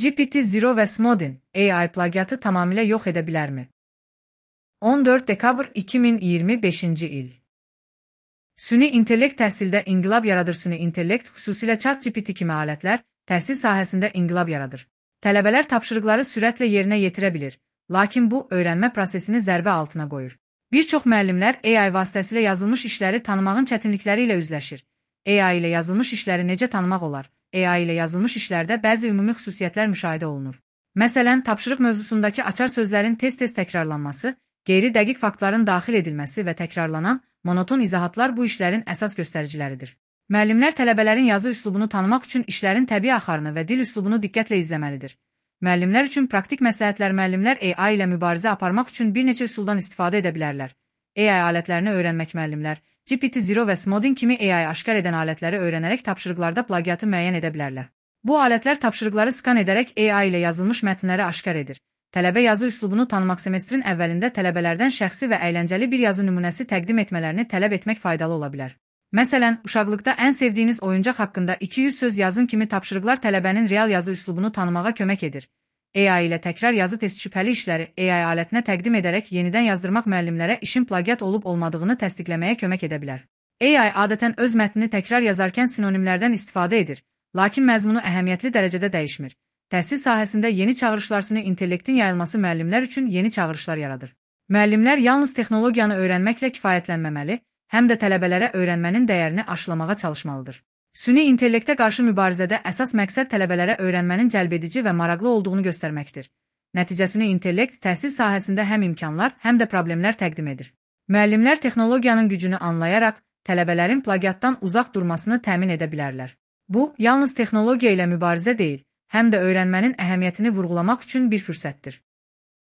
GPT-0 və Smodin AI plagiatı tamamilə yox edə bilərmi? 14 dekabr 2025-ci il. Süni intellekt təhsildə inqilab yaradır. Süni intellekt, xüsusilə ChatGPT kimi alətlər, təhsil sahəsində inqilab yaradır. Tələbələr tapşırıqları sürətlə yerinə yetirə bilir, lakin bu, öyrənmə prosesini zərbə altına qoyur. Bir çox müəllimlər AI vasitəsilə yazılmış işləri tanımağın çətinlikləri ilə üzləşir. AI ilə yazılmış işləri necə tanımaq olar? AI ilə yazılmış işlərdə bəzi ümumi xüsusiyyətlər müşahidə olunur. Məsələn, tapşırıq mövzusundakı açar sözlərin tez-tez təkrarlanması, qeyri-dəqiq faktların daxil edilməsi və təkrarlanan, monoton izahatlar bu işlərin əsas göstəriciləridir. Müəllimlər tələbələrin yazı üslubunu tanımaq üçün işlərin təbii axarını və dil üslubunu diqqətlə izləməlidir. Müəllimlər üçün praktik məsləhətlər. Müəllimlər AI ilə mübarizə aparmaq üçün bir neçə üsuldan istifadə edə bilərlər. AI alətlərini öyrənmək. Müəllimlər GPT-0 və Smodin kimi AI aşkar edən alətləri öyrənərək tapşırıqlarda plagiatı müəyyən edə bilərlər. Bu alətlər tapşırıqları skan edərək AI ilə yazılmış mətnləri aşkar edir. Tələbə yazı üslubunu tanımaq. Semestrin əvvəlində tələbələrdən şəxsi və əyləncəli bir yazı nümunəsi təqdim etmələrini tələb etmək faydalı ola bilər. Məsələn, uşaqlıqda ən sevdiyiniz oyuncaq haqqında 200 söz yazın kimi tapşırıqlar tələbənin real yazı üslubunu tanımağa kömək edir. AI ilə təkrar yazı test şübhəli işləri AI alətinə təqdim edərək yenidən yazdırmaq müəllimlərə işin plagiat olub-olmadığını təsdiqləməyə kömək edə bilər. AI adətən öz mətnini təkrar yazarkən sinonimlərdən istifadə edir, lakin məzmunu əhəmiyyətli dərəcədə dəyişmir. Təhsil sahəsində yeni çağırışlar. Süni intellektin yayılması müəllimlər üçün yeni çağırışlar yaradır. Müəllimlər yalnız texnologiyanı öyrənməklə kifayətlənməməli, həm də tələbələrə öyrənmənin dəyərini aşılamağa çalışmalıdır. Süni intellektə qarşı mübarizədə əsas məqsəd tələbələrə öyrənmənin cəlbedici və maraqlı olduğunu göstərməkdir. Nəticəsini intellekt təhsil sahəsində həm imkanlar, həm də problemlər təqdim edir. Müəllimlər texnologiyanın gücünü anlayaraq, tələbələrin plagiatdan uzaq durmasını təmin edə bilərlər. Bu, yalnız texnologiya ilə mübarizə deyil, həm də öyrənmənin əhəmiyyətini vurğulamaq üçün bir fürsətdir.